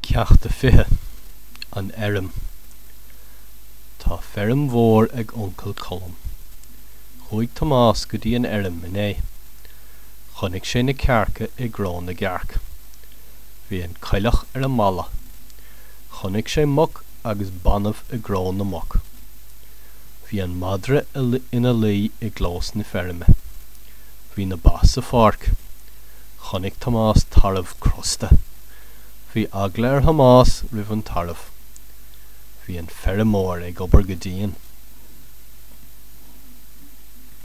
Ceacht a 20, An Fheirm Tá feirm mhór ag Uncail Colm. Chuaigh Tomás go dtí an fheirm inné. Chonaic sé na cearca i gcró na gcearc. Bhí an coileach ar an mballa. Chonaic sé muc agus banbh i gcró na muc. Bhí an madra ina luí i gclós na feirme. Bhí na ba sa pháirc. Chonaic Tomás tarbh crosta. Bhí eagla ar Thomás roimh an tarbh. Bhí an feirmeoir ag obair go dian.